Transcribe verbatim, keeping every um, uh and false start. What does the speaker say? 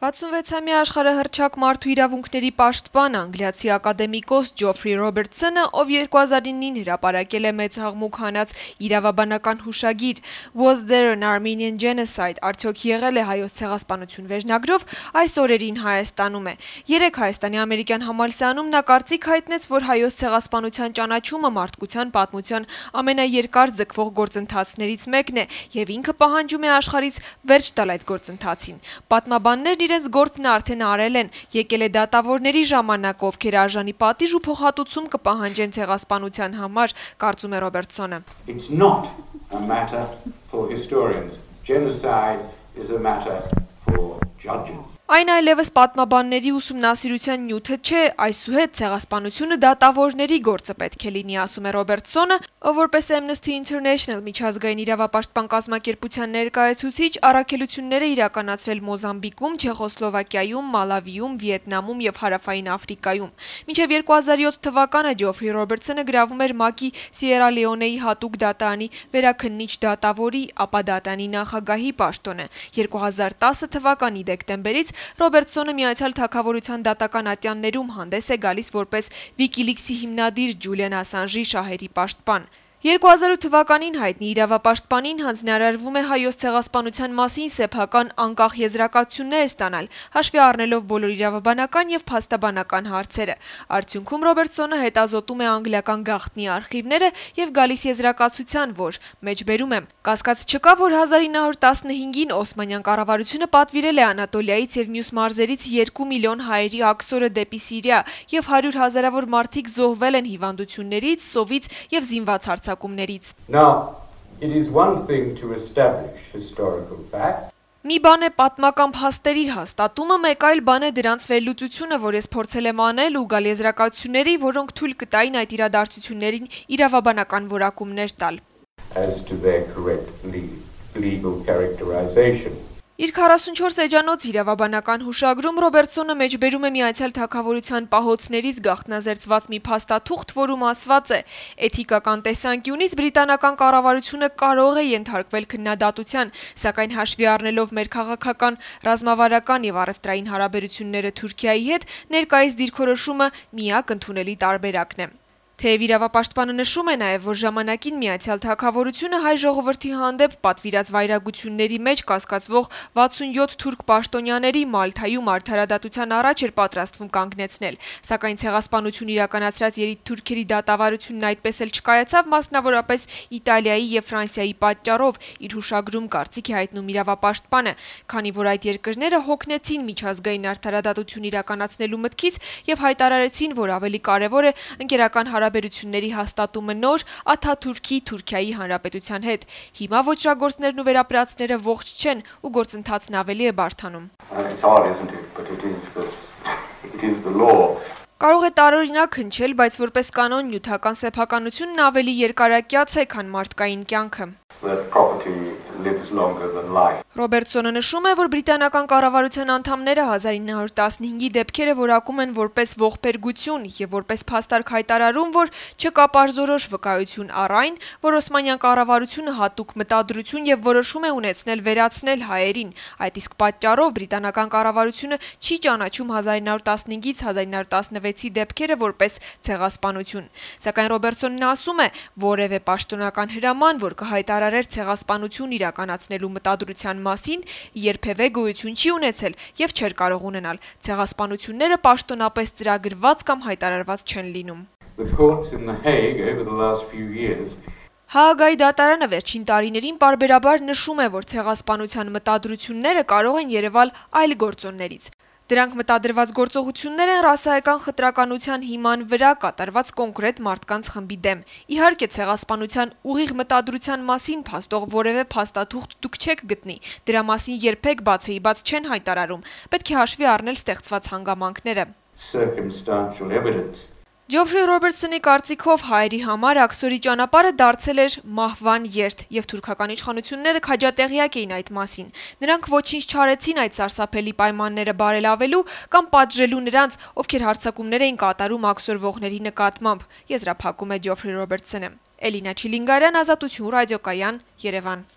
վաթսունվեցամյա աշխարհահռչակ մարդու իրավունքների պաշտպան անգլիացի ակադեմիկոս Ջոֆրի Ռոբերտսոնը, ով երկու հազար իննին հրապարակել է մեծ հաղմուկ հանած իրավաբանական հուշագիր Was there an Armenian genocide, արդյոք եղել է հայոց ցեղասպանություն վերջնագրով, այս օրերին Հայաստանում է։ Երեկ Հայաստանի ամերիկյան համալսարանում նա կարծիք հայտնեց, որ հայոց ցեղասպանության ճանաչումը մարդկության պատմության ամենաերկար ձգվող գործընթացներից մեկն է եւ ինքը պահանջում է աշխարհից վերջ տալ այդ գործընթացին։ Պատմաբաններն իրենց գործն արդեն արել են, եկել է դատավորների ժամանակ, ովքեր արժանի պատիժ ու փոխհատուցում կպահանջեն ցեղասպանության համար, կարծում է Ռոբերտսոնը։ It's not a matter for historians. Genocide is a matter for judges. Այն այլևս պատմաբանների ուսումնասիրության նյութը չէ, այսուհետ ցեղասպանությունը դատավորների գործը պետք է լինի, ասում է Ռոբերտսոնը, ով որպես Amnesty International միջազգային իրավապաշտպան կազմակերպության ներկայացուցիչ առաքելություններ է իրականացրել Մոզամբիկում, Չեխոսլովակիայում, Մալավիում, Վիետնամում եւ Հարավային Աֆրիկայում։ Մինչեւ երկու հազար յոթ թվականը Ջոֆրի Ռոբերտսոնը գրավում էր ՄԱԿ-ի Սիերա Լեոնեի հատուկ դատարանի վերաքննիչ դատավորի, ապա դատարանի նախագահի պաշտոնը։ երկու հազար տասը թվականի դեկտեմբերից Ռոբերտսոնը Միացյալ Թագավորության դատական ատյաններում հանդես է գալիս որպես Վիկիլիքսի հիմնադիր Ջուլիան Ասանժի շահերի պաշտպան։ երկու հազար ութ թվականին հայտնի իրավապաշտպանին հանձնարարվում է հայոց ցեղասպանության մասին սեփական անկախ եզրակացություններ ստանալ, հաշվի առնելով բոլոր իրավաբանական եւ փաստաբանական հարցերը։ Արդյունքում Ռոբերտսոնը հետազոտում է անգլիական գաղտնի արխիվները եւ գալիս եզրակացության, որ մեջբերում եմ. կասկած չկա, որ հազար ինը հարյուր տասնհինգին Օսմանյան կառավարությունը պատվիրել է Անատոլիայից եւ մյուս մարզերից երկու միլիոն հայերի աքսորը դեպի Սիրիա եւ հարյուր հազարավոր մարդիկ զոհվել են հիվանդություններից, սովից եւ զինված հարձակումներից։ Now, it is one thing to establish historical facts. Մի բան է պատմական փաստերի հաստատումը, մեկ այլ բան է դրանց վերլուծությունը, որ ես փորձել եմ անել ու գալ եզրակացությունների, որոնք թույլ կտային այդ իրադարձություններին իրավաբանական որակումներ տալ։ As to their correct legal characterization. Իր քառասունչորս էջանոց իրավաբանական հուշագրում Ռոբերտսոնը մեջբերում է Միացյալ Թագավորության պահոցներից գաղտնազերծված մի փաստաթուղթ, որում ասված է. Էթիկական տեսանկյունից բրիտանական կառավարությունը կարող է ենթարկվել քննադատության, սակայն հաշվի առնելով մեր քաղաքական, ռազմավարական եւ առևտրային հարաբերությունները Թուրքիայի հետ, ներկայիս դիրքորոշումը միակ ընդունելի տարբերակն է։ Թեև իրավապաշտպանը նշում է նաև, որ ժամանակին Միացյալ Թագավորությունը հայ ժողովրդի հանդեպ պատվիրած վայրագությունների մեջ կասկածվող վաթսունյոթ թուրք պաշտոնյաների Մալթայում արդարադատության առաջ էր պատրաստվում կանգնեցնել, սակայն ցեղասպանություն իրականացրած երիտթուրքերի դատավարությունն այդպես էլ չկայացավ, մասնավորապես Իտալիայի եւ Ֆրանսիայի պատճառով, իր հուշագրում կարծիք է հայտնում իրավապաշտպանը, քանի որ այդ երկրները հոգնեցին միջազգային արդարադատություն իրականացնելու մտքից եւ հայտարարեցին, որ ավելի կարեւոր է ընկերական հարաբերությունների հաստատումը նոր Աթաթուրքի Թուրքիայի Հանրապետության հետ։ Հիմա ոճրագործներն ու վերապրածները ողջ չեն ու գործընթացն ավելի է բարդանում։ Կարող է տարօրինակ հնչել, բայց որպես կանոն նյութական սեփականությունն ավելի երկարակյաց է, քան մարդկային կյանքը։ Ռոբերտսոնը նշում է, որ բրիտանական կառավարության անդամները հազար ինը հարյուր տասնհինգի դեպքերը որակում են որպես ողբերգություն եւ որպես փաստարկ հայտարարում, որ չկա պարզորոշ վկայություն առ այն, որ Օսմանյան կառավարությունը հատուկ մտադրություն եւ որոշում է ունեցնել վերացնել հայերին։ Այդ իսկ պատճառով բրիտանական կառավարությունը չի ճանաչում հազար ինը հարյուր տասնհինգից հազար ինը հարյուր տասնվեցի դեպքերը որպես ցեղասպանություն։ Սակայն Ռոբերտսոնն ասում է, որևէ պաշտոնական հրաման, որ կհայտարարեր ցեղասպանություն իրականացնելու մտադրության մասին, երբևէ գոյություն չի ունեցել եւ չէր կարող ունենալ։ Ցեղասպանությունները պաշտոնապես ծրագրված կամ հայտարարված չեն լինում։ Հաագայի դատարանը վերջին տարիներին պարբերաբար նշում է, որ ցեղասպանության մտադրությունները կարող են երևալ այլ գործոններից։ Դրանք մտադրված գործողություններ են ռասայական խտրականության հիման վրա կատարված կոնկրետ մարդկանց խմբի դեմ։ Իհարկե, ցեղասպանության ուղիղ մտադրության մասին փաստող որևէ փաստաթուղթ դուք չեք գտնի։ Դրա մասին երբեք բացեի բաց չեն հայտարարում։ Պետք է հաշվի առնել ստեղծված հանգամանքները։ Ջոֆրի Ռոբերտսոնի կարծիքով հայերի համար աքսորի ճանապարհը դարձել էր մահվան երթ եւ թուրքական իշխանությունները քաջատեղյակ էին այդ մասին։ Նրանք ոչինչ չարեցին այդ սարսափելի պայմանները բարելավելու կամ պատժելու նրանց, ովքեր հարձակումներ էին կատարում աքսորվողների նկատմամբ, եզրափակում է Ջոֆրի Ռոբերտսոնը։ Էլինա Չիլինգարյան, Ազատություն ռադիոկայան, Երևան։